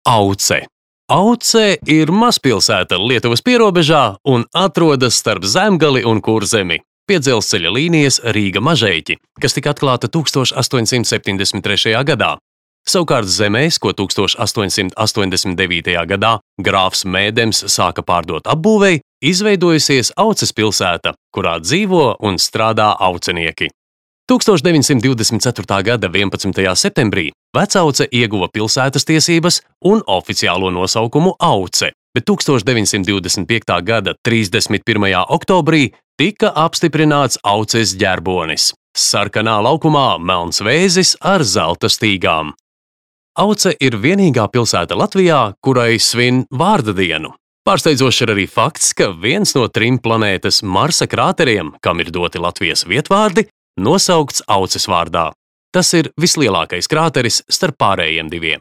Auce. Auce ir mazpilsēta Lietuvas pierobežā un atrodas starp Zemgali un Kurzemi, pie dzelzceļa līnijas Rīga-Mažeiķi, kas tika atklāta 1873. gadā. Savukārt zemēs, ko 1889. gadā grāfs Mēdems sāka pārdot apbūvei, izveidojusies Auces pilsēta, kurā dzīvo un strādā aucenieki. 1924. gada 11. septembrī Vecauce ieguva pilsētas tiesības un oficiālo nosaukumu Auce, bet 1925. gada 31. oktobrī tika apstiprināts Auces ģerbonis – sarkanā laukumā melns vēzis ar zelta stīgām. Auce ir vienīgā pilsēta Latvijā, kurai svin vārda dienu. Pārsteidzošs ir arī fakts, ka viens no 3 planētas Marsa krāteriem, kam ir doti Latvijas vietvārdi, nosaukts Auces vārdā. Tas ir vislielākais krāteris starp pārējiem 2.